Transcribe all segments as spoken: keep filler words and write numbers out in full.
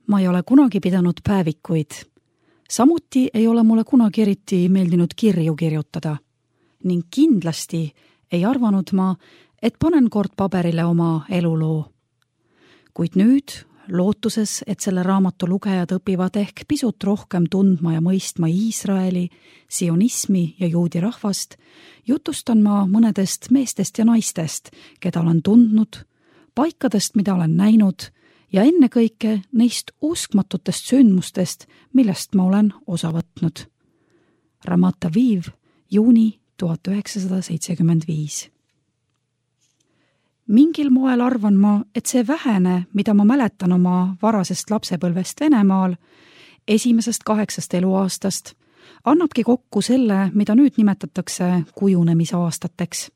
Ma ei ole kunagi pidanud päevikuid. Samuti ei ole mulle kunagi eriti meeldinud kirju kirjutada. Ning kindlasti ei arvanud ma, et panen kord paberile oma eluloo. Kuid nüüd, lootuses, et selle raamatu lugejad õpivad ehk pisut rohkem tundma ja mõistma Iisraeli, sionismi ja juudi rahvast, jutustan ma mõnedest meestest ja naistest, keda olen tundnud, paikadest, mida olen näinud, ja ennekõike neist uskmatutest sündmustest, millest ma olen osa võtnud. Ramat Aviv, juuni tuhat üheksasada seitsekümmend viis. Mingil moel arvan ma, et see vähene, mida ma mäletan oma varasest lapsepõlvest Venemaal, esimesest kaheksast eluaastast, annabki kokku selle, mida nüüd nimetatakse kujunemisaastateks.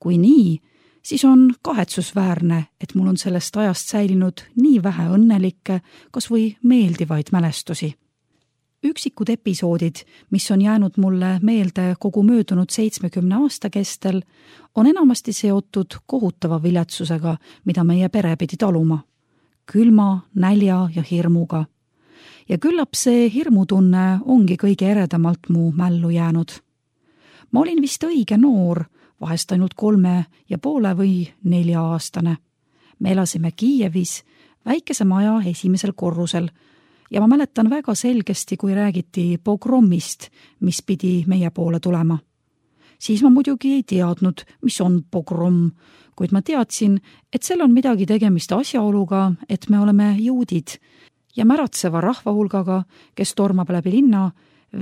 Kui nii, siis on kahetsusväärne, et mul on sellest ajast säilinud nii vähe õnnelikke, kas või meeldivaid mälestusi. Üksikud episoodid, mis on jäänud mulle meelde kogu möödunud seitsmekümne aasta kestel, on enamasti seotud kohutava viletsusega, mida meie pere pidi taluma. Külma, nälja ja hirmuga. Ja küllap see hirmutunne ongi kõige eredamalt mu mällu jäänud. Ma olin vist õige noor, vahest ainult kolme ja poole või nelja aastane. Me elasime Kiievis, väikese maja esimesel korrusel, ja ma mäletan väga selgesti, kui räägiti pogrommist, mis pidi meie poole tulema. Siis ma muidugi ei teadnud, mis on pogromm, kuid ma teadsin, et seal on midagi tegemist asjaoluga, et me oleme juudid ja märatseva rahvahulgaga, kes tormab läbi linna,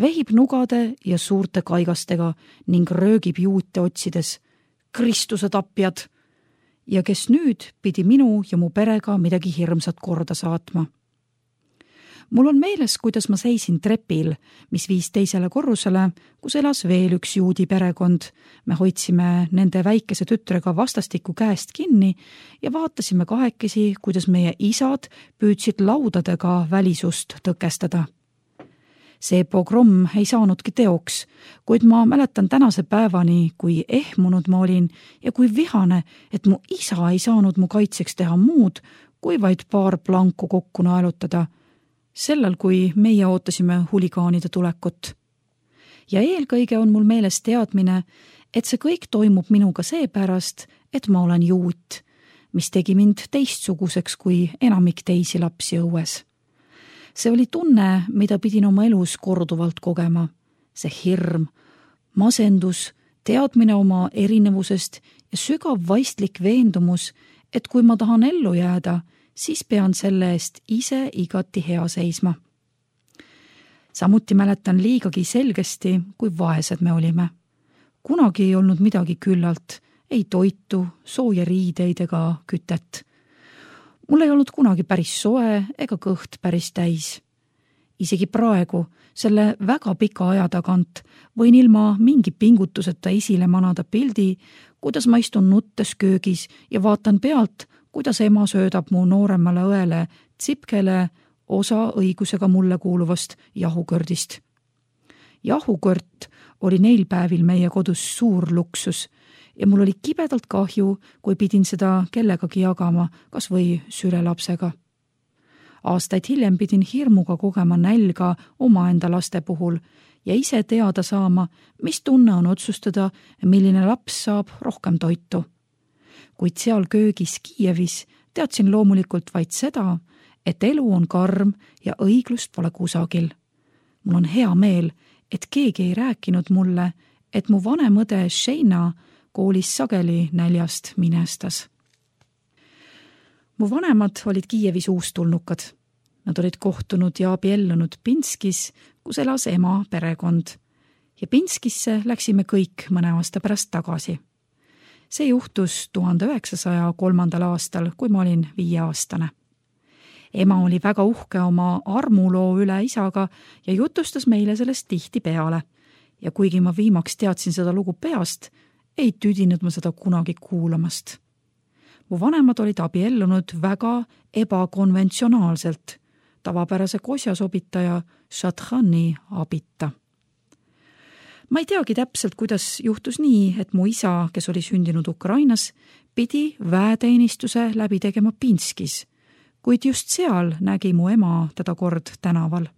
vehib nugade ja suurte kaigastega ning röögib juute otsides. Kristuse tapjad! Ja kes nüüd pidi minu ja mu perega midagi hirmsat korda saatma. Mul on meeles, kuidas ma seisin trepil, mis viis teisele korrusele, kus elas veel üks juudi perekond. Me hoidsime nende väikese tütrega vastastikku käest kinni ja vaatasime kahekesi, kuidas meie isad püüdsid laudadega välisust tõkestada. See pogromm ei saanudki teoks, kuid ma mäletan tänase päevani, kui ehmunud ma olin ja kui vihane, et mu isa ei saanud mu kaitseks teha muud, kui vaid paar planku kokku naelutada, sellel, kui meie ootasime huligaanide tulekut. Ja eelkõige on mul meeles teadmine, et see kõik toimub minuga seepärast, et ma olen juut, mis tegi mind teistsuguseks kui enamik teisi lapsi õues. See oli tunne, mida pidin oma elus korduvalt kogema. See hirm, masendus, teadmine oma erinevusest ja sügav vaistlik veendumus, et kui ma tahan ellu jääda, siis pean selle eest ise igati hea seisma. Samuti mäletan liigagi selgesti, kui vaesed me olime. Kunagi ei olnud midagi küllalt, ei toitu, sooja riideid ega kütet. Mul ei olnud kunagi päris soe ega kõht päris täis. Isegi praegu, selle väga pika aja tagant, võin ilma mingi pingutuseta esile manada pildi, kuidas ma istun nuttes köögis ja vaatan pealt, kuidas ema söödab mu nooremale õele tsipkele osa õigusega mulle kuuluvast jahukõrdist. Jahukõrt oli neil päevil meie kodus suur luksus ja mul oli kibedalt kahju, kui pidin seda kellegagi jagama, kas või sülelapsega. Aastaid hiljem pidin hirmuga kogema nälga omaenda laste puhul ja ise teada saama, mis tunne on otsustada, milline laps saab rohkem toitu. Kuid seal köögis Kiievis teadsin loomulikult vaid seda, et elu on karm ja õiglust pole kusagil. Mul on hea meel, et keegi ei rääkinud mulle, et mu vanem õde Sheina koolis sageli näljast minestas. Mu vanemad olid Kiievis uustulnukad. Nad olid kohtunud ja abiellunud Pinskis, kus elas ema perekond. Ja Pinskisse läksime kõik mõne aasta pärast tagasi. See juhtus tuhande üheksasaja kolmandal aastal, kui ma olin viieaastane. Ema oli väga uhke oma armuloo üle isaga ja jutustas meile sellest tihti peale. Ja kuigi ma viimaks teadsin seda lugu peast, ei tüdinud ma seda kunagi kuulamast. Mu vanemad olid abiellunud väga ebakonventsionaalselt, tavapärase kosjasobitaja Šatchani abita. Ma ei teagi täpselt, kuidas juhtus nii, et mu isa, kes oli sündinud Ukrainas, pidi väeteenistuse läbi tegema Pinskis, kuid just seal nägi mu ema teda kord tänaval.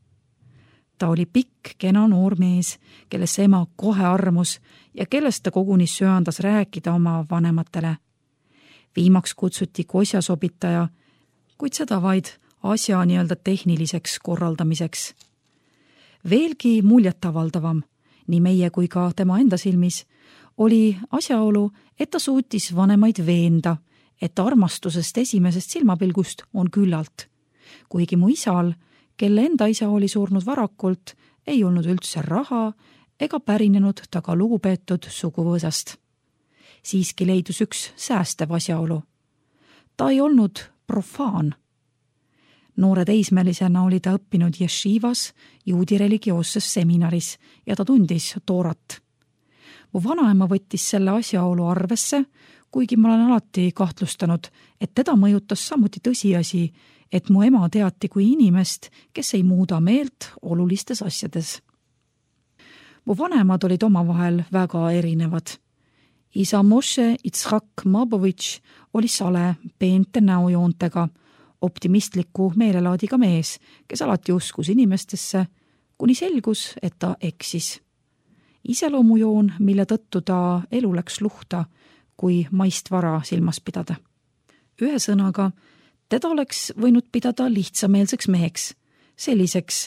Ta oli pikk, kena noor mees, kellesse ema kohe armus ja kellest ta koguni söandas rääkida oma vanematele. Viimaks kutsuti kosjasobitaja, kuid seda vaid asja nii-öelda tehniliseks korraldamiseks. Veelgi muljetavaldavam, nii meie kui ka tema enda silmis, oli asjaolu, et ta suutis vanemaid veenda, et armastusest esimesest silmapilgust on küllalt. Kuigi mu isal, kelle enda isa oli surnud varakult, ei olnud üldse raha ega pärinenud ta ka lugupeetud suguvõõsast. Siiski leidus üks säästev asjaolu. Ta ei olnud profaan. Noore teismelisena oli ta õppinud jeshivas, juudi religioosses seminaris ja ta tundis toorat. Mu vanaema võttis selle asjaolu arvesse, kuigi ma olen alati kahtlustanud, et teda mõjutas samuti tõsiasi, et mu ema teati kui inimest, kes ei muuda meelt olulistes asjades. Mu vanemad olid omavahel väga erinevad. Isa Moshe Itzhak Mabovitš oli sale peente näojoontega, optimistliku meelelaadiga mees, kes alati uskus inimestesse, kuni selgus, et ta eksis. Iseloomujoon, mille tõttu ta elu läks luhta, kui maist vara silmas pidada. Ühe sõnaga, teda oleks võinud pidada lihtsameelseks meheks, selliseks,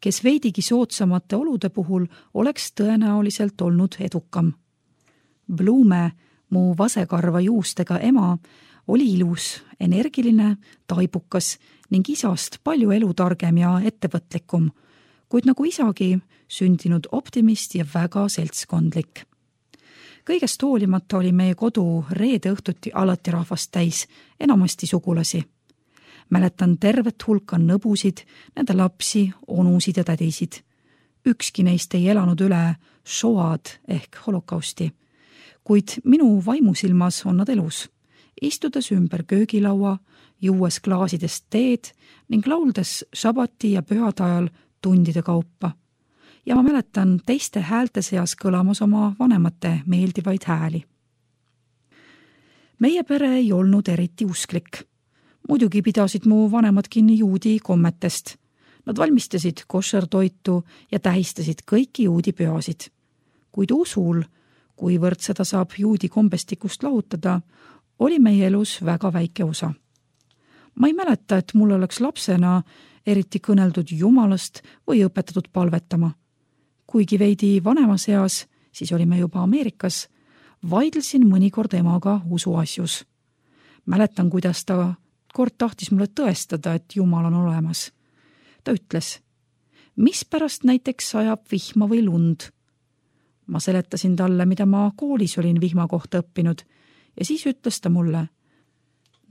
kes veidigi soodsamate olude puhul oleks tõenäoliselt olnud edukam. Blume, mu vasekarva juustega ema, oli ilus, energiline, taibukas ning isast palju elutargem ja ettevõtlikum, kuid nagu isagi sündinud optimist ja väga seltskondlik. Kõigest hoolimata oli meie kodu reede õhtuti alati rahvast täis, enamasti sugulasi. Mäletan tervet hulka nõbusid, nende lapsi, onusid ja tädisid. Ükski neist ei elanud üle šoad ehk holokausti, kuid minu vaimusilmas on nad elus, istudes ümber köögilaua, juues klaasidest teed ning lauldes šabati ja pühade ajal tundide kaupa. Ja ma mäletan teiste häälte seas kõlamas oma vanemate meeldivaid hääli. Meie pere ei olnud eriti usklik. Muidugi pidasid mu vanemad kinni juudi kommetest. Nad valmistasid košertoitu ja tähistasid kõiki juudi pühasid. Kuid usul, kuivõrd seda saab juudi kombestikust lahutada, oli meie elus väga väike osa. Ma ei mäleta, et mul oleks lapsena eriti kõneldud jumalast või õpetatud palvetama. Kuigi veidi vanemas eas, siis olime juba Ameerikas, vaidlesin mõnikord emaga usuasjus. Mäletan, kuidas ta kord tahtis mulle tõestada, et Jumal on olemas. Ta ütles, mis pärast näiteks sajab vihma või lund. Ma seletasin talle, mida ma koolis olin vihma kohta õppinud ja siis ütles ta mulle,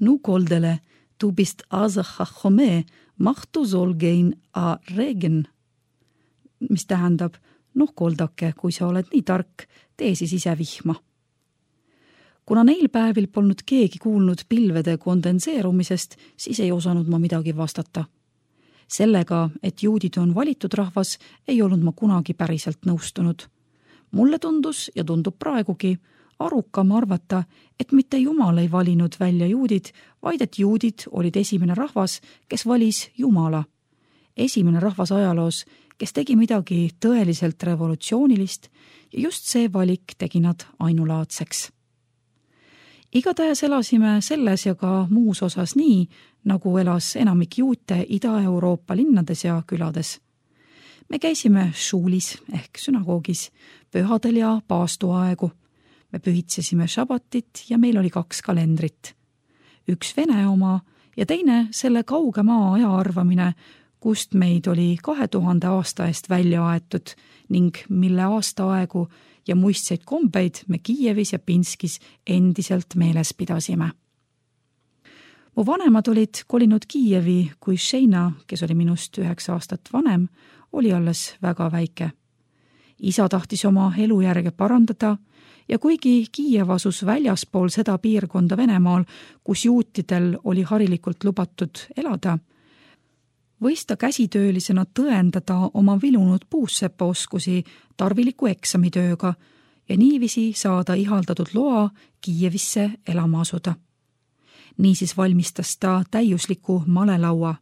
nu koldele, tu bist aza chachome, mahtu zolgein a regen. Mis tähendab, noh koldake, kui sa oled nii tark, tee siis ise vihma. Kuna neil päevil polnud keegi kuulnud pilvede kondenseerumisest, siis ei osanud ma midagi vastata. Sellega, et juudid on valitud rahvas, ei olnud ma kunagi päriselt nõustunud. Mulle tundus ja tundub praegugi arukam arvata, et mitte Jumal ei valinud välja juudid, vaid et juudid olid esimene rahvas, kes valis Jumala. Esimene rahvas ajaloos, kes tegi midagi tõeliselt revolutsioonilist ja just see valik tegi nad ainulaadseks. Igatahes elasime selles ja ka muus osas nii, nagu elas enamik juute Ida-Euroopa linnades ja külades. Me käisime šuulis ehk sünagoogis, pühadel ja paastuaegu. Me pühitsesime šabatit ja meil oli kaks kalendrit. Üks Vene oma ja teine selle kauge maa aja arvamine, kust meid oli kahe tuhande aasta eest välja aetud ning mille aastaaegu ja muistseid kombeid me Kiievis ja Pinskis endiselt meeles pidasime. Mu vanemad olid kolinud Kiievi, kui Šeina, kes oli minust üheksa aastat vanem, oli alles väga väike. Isa tahtis oma elujärge parandada ja kuigi Kiiev asus väljaspool seda piirkonda Venemaal, kus juutidel oli harilikult lubatud elada, võis ta käsitöölisena tõendada oma vilunud puussepaoskusi tarviliku eksamitööga ja niiviisi saada ihaldatud loa Kiievisse elama asuda. Niisiis valmistas ta täiusliku malelaua,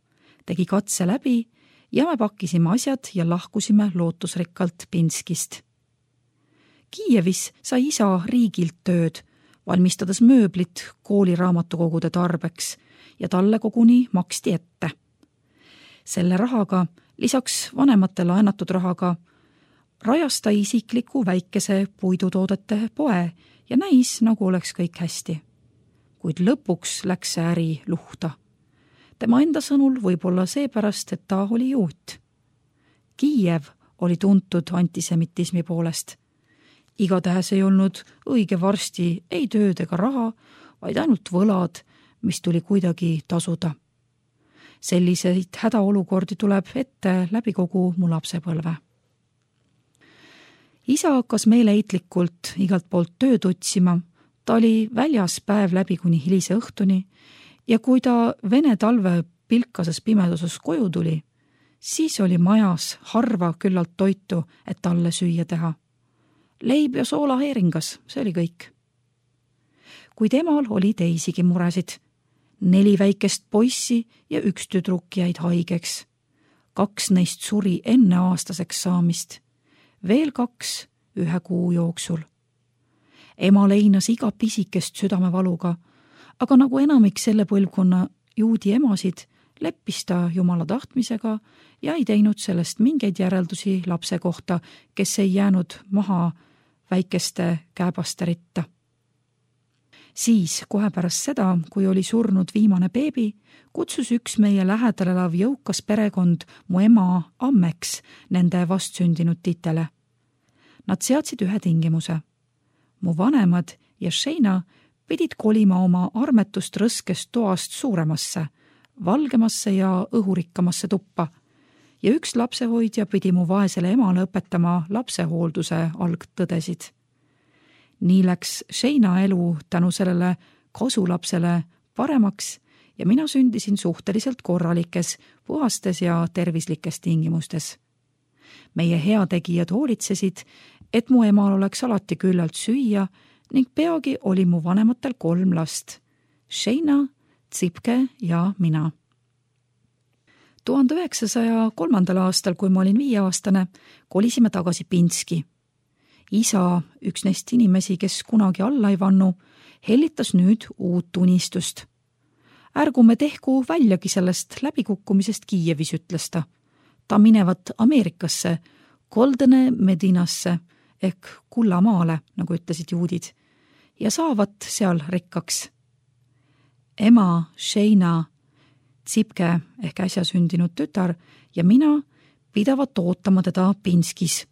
tegi katse läbi ja me pakkisime asjad ja lahkusime lootusrikkalt Pinskist. Kiievis sai isa riigilt tööd, valmistades mööblit kooliraamatukogude tarbeks ja talle koguni maksti ette. Selle rahaga, lisaks vanemate laenatud rahaga, rajas ta isikliku väikese puidutoodete poe ja näis, nagu oleks kõik hästi. Kuid lõpuks läks see äri luhta. Tema enda sõnul võib-olla seepärast, et ta oli juut. Kiiev oli tuntud antisemitismi poolest. Igatähes ei olnud õige varsti ei tööd ega raha, vaid ainult võlad, mis tuli kuidagi tasuda. Selliseid hädaolukordi tuleb ette läbi kogu mu lapsepõlve. Isa hakkas meeleheitlikult igalt poolt tööd otsima, ta oli väljas päev läbi kuni hilise õhtuni ja kui ta vene talve pilkases pimeduses koju tuli, siis oli majas harva küllalt toitu, et talle süüa teha. Leib ja soolaheeringas, see oli kõik. Kuid emal oli teisigi muresid. Neli väikest poissi ja üks tüdruk jäid haigeks. Kaks neist suri enne aastaseks saamist. Veel kaks ühe kuu jooksul. Ema leinas iga pisikest südamevaluga, aga nagu enamik selle põlvkonna juudi emasid, leppis ta Jumala tahtmisega ja ei teinud sellest mingeid järeldusi lapse kohta, kes ei jäänud maha väikeste kääbaste ritta. Siis, kohe pärast seda, kui oli surnud viimane beebi, kutsus üks meie lähedal elav jõukas perekond mu ema ammeks nende vastsündinud titele. Nad seadsid ühe tingimuse. Mu vanemad ja Sheina pidid kolima oma armetust rõskest toast suuremasse, valgemasse ja õhurikkamasse tuppa ja üks lapsehoidja pidi mu vaesele emale õpetama lapsehoolduse algtõdesid. Nii läks Sheina elu tänu sellele kasulapsele paremaks ja mina sündisin suhteliselt korralikes, puhastes ja tervislikes tingimustes. Meie heategijad hoolitsesid, et mu emal oleks alati küllalt süüa ning peagi oli mu vanematel kolm last, Sheina, Tsipke ja mina. tuhande üheksasaja kolmandal aastal, kui ma olin viieaastane, kolisime tagasi Pinski. Isa, üks neist inimesi, kes kunagi alla ei vannu, hellitas nüüd uut unistust. Ärgume tehku väljagi sellest läbikukkumisest Kiievis, ütles ta. Ta minevat Ameerikasse, Goldene Medinasse ehk kullamaale, nagu ütlesid juudid, ja saavat seal rikkaks. Ema, Sheina, Tsipke ehk äsja sündinud tütar ja mina pidavat ootama teda Pinskis.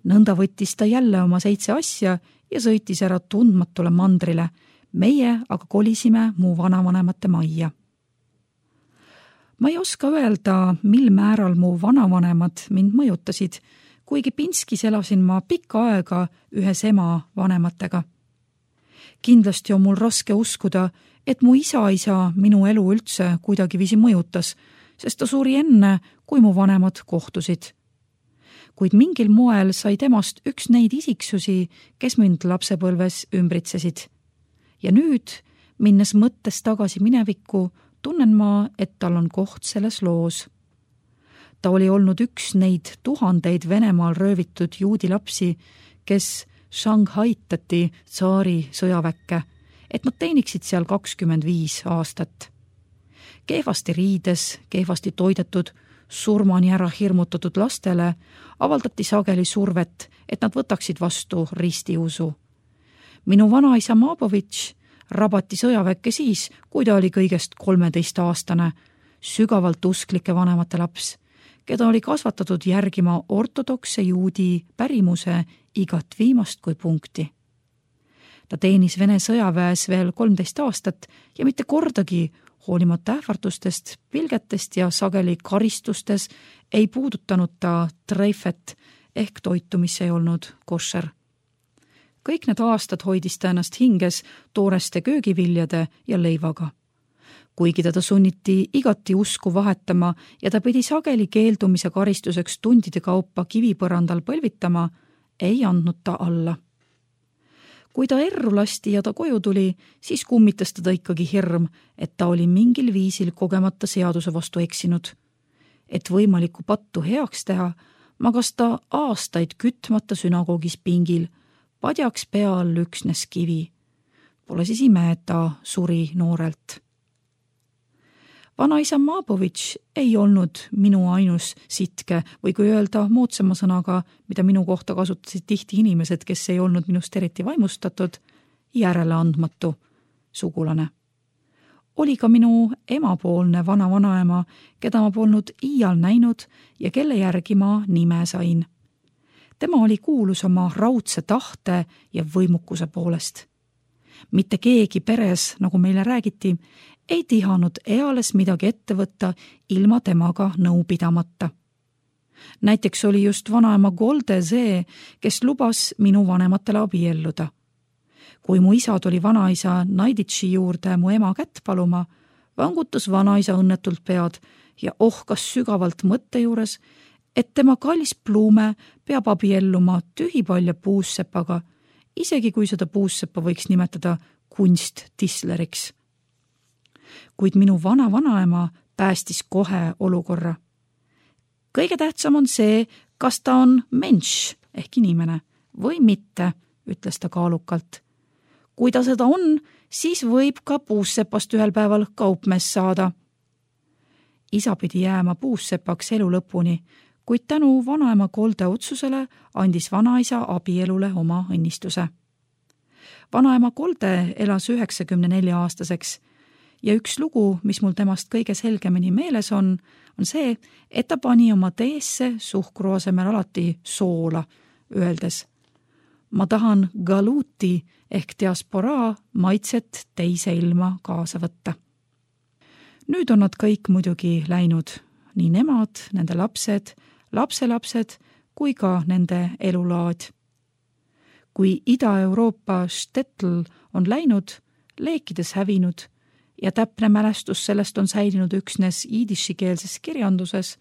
Nõnda võttis ta jälle oma seitse asja ja sõitis ära tundmatule mandrile, meie aga kolisime mu vanavanemate majja. Ma ei oska öelda, mil määral mu vanavanemad mind mõjutasid, kuigi Pinskis elasin ma pikka aega ühes ema vanematega. Kindlasti on mul raske uskuda, et mu isa-isa minu elu üldse kuidagiviisi mõjutas, sest ta suri enne, kui mu vanemad kohtusid. Kuid mingil moel sai temast üks neid isiksusi, kes mind lapsepõlves ümbritsesid. Ja nüüd, minnes mõttes tagasi minevikku, tunnen ma, et tal on koht selles loos. Ta oli olnud üks neid tuhandeid Venemaal röövitud juudi lapsi, kes Shanghaitati tsaari sõjaväkke, et nad teeniksid seal kakskümmend viis aastat. Kehvasti riides, kehvasti toidetud, surmani ära hirmutatud lastele avaldati sageli survet, et nad võtaksid vastu ristiusu. Minu vanaisa Mabovitš rabati sõjaväkke siis, kui ta oli kõigest kolmeteist aastane, sügavalt usklike vanemate laps, keda oli kasvatatud järgima ortodokse juudi pärimuse igat viimast kui punkti. Ta teenis Vene sõjaväes veel kolmteist aastat ja mitte kordagi, hoolimata ähvardustest, pilgetest ja sageli karistustes, ei puudutanud ta treifet ehk toitu, mis ei olnud košer. Kõik need aastad hoidis ta ennast hinges tooreste köögiviljade ja leivaga. Kuigi teda sunniti igati usku vahetama ja ta pidi sageli keeldumise karistuseks tundide kaupa kivipõrandal põlvitama, ei andnud ta alla. kui ta erru lasti ja ta koju tuli, siis kummitas teda ikkagi hirm, et ta oli mingil viisil kogemata seaduse vastu eksinud. Et võimalikku pattu heaks teha, magas ta aastaid kütmata sünagoogis pingil, padjaks pea all üksnes kivi. Pole siis ime, et ta suri noorelt. Vanaisa Maabovitš ei olnud minu ainus sitke või kui öelda moodsama sõnaga, mida minu kohta kasutasid tihti inimesed, kes ei olnud minust eriti vaimustatud, järeleandmatu sugulane. Oli ka minu emapoolne vana-vanaema, keda ma polnud iial näinud ja kelle järgi ma nime sain. Tema oli kuulus oma raudse tahte ja võimukuse poolest. Mitte keegi peres, nagu meile räägiti, ei tihanud eales midagi ette võtta ilma temaga nõu pidamata. Näiteks oli just vanaema Golde see, kes lubas minu vanematele abielluda. Kui mu isa tuli vanaisa Naiditši juurde mu ema kätt paluma, vangutas vanaisa õnnetult pead ja ohkas sügavalt mõtte juures, et tema kallis Pluume peab abielluma tühipalja puussepaga, isegi kui seda puusseppa võiks nimetada kunsttisleriks. Kuid minu vana-vanaema päästis kohe olukorra. Kõige tähtsam on see, kas ta on menš ehk inimene või mitte, ütles ta kaalukalt. Kui ta seda on, siis võib ka puussepast ühel päeval kaupmees saada. Isa pidi jääma puussepaks elu lõpuni, kuid tänu vanaema Golde otsusele andis vanaisa abielule oma õnnistuse. Vanaema Golde elas üheksakümne nelja aastaseks ja üks lugu, mis mul temast kõige selgemini meeles on, on see, et ta pani oma teesse suhkru asemel alati soola, öeldes: ma tahan galuuti ehk diasporaa maitset teise ilma kaasa võtta. Nüüd on nad kõik muidugi läinud, nii nemad, nende lapsed, lapselapsed kui ka nende elulaad. Kui Ida-Euroopa štetl on läinud, leekides hävinud ja täpne mälestus sellest on säilinud üksnes iidishikeelses kirjanduses,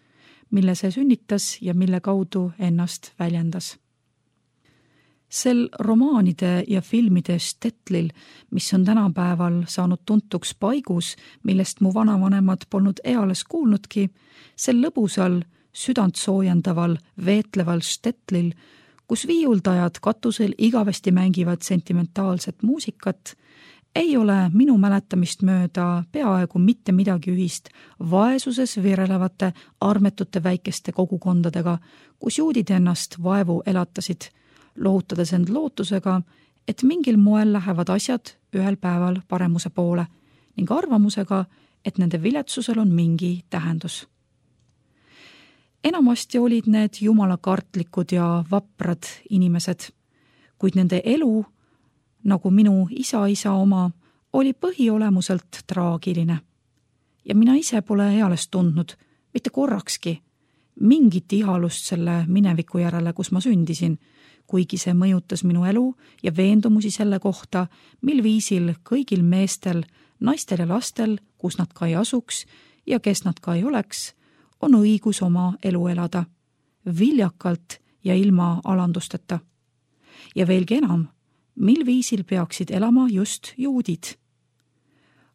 mille see sünnitas ja mille kaudu ennast väljendas. Sel romaanide ja filmide štetlil, mis on tänapäeval saanud tuntuks paigus, millest mu vanavanemad polnud eales kuulnudki, sel lõbusal, südant soojendaval, veetleval štetlil, kus viiuldajad katusel igavesti mängivad sentimentaalset muusikat, ei ole minu mäletamist mööda peaaegu mitte midagi ühist vaesuses virelevate armetute väikeste kogukondadega, kus juudid ennast vaevu elatasid, lohutades end lootusega, et mingil moel lähevad asjad ühel päeval paremuse poole ning arvamusega, et nende viletsusel on mingi tähendus. Enamasti olid need jumalakartlikud ja vaprad inimesed, kuid nende elu, nagu minu isa-isa oma, oli põhiolemuselt traagiline. Ja mina ise pole eales tundnud, mitte korrakski, mingit ihalust selle mineviku järele, kus ma sündisin, kuigi see mõjutas minu elu ja veendumusi selle kohta, mil viisil kõigil meestel, naistel ja lastel, kus nad ka ei asuks ja kes nad ka ei oleks, on õigus oma elu elada, viljakalt ja ilma alandusteta. Ja veelgi enam, mil viisil peaksid elama just juudid.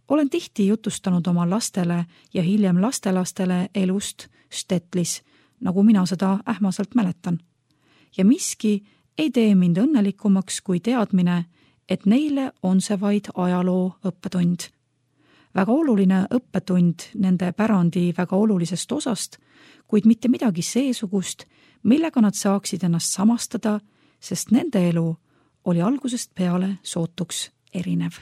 Olen tihti jutustanud oma lastele ja hiljem lastelastele elust štetlis, nagu mina seda ähmaselt mäletan. Ja miski ei tee mind õnnelikumaks kui teadmine, et neile on see vaid ajaloo õppetund. Väga oluline õppetund nende pärandi väga olulisest osast, kuid mitte midagi seesugust, millega nad saaksid ennast samastada, sest nende elu oli algusest peale sootuks erinev.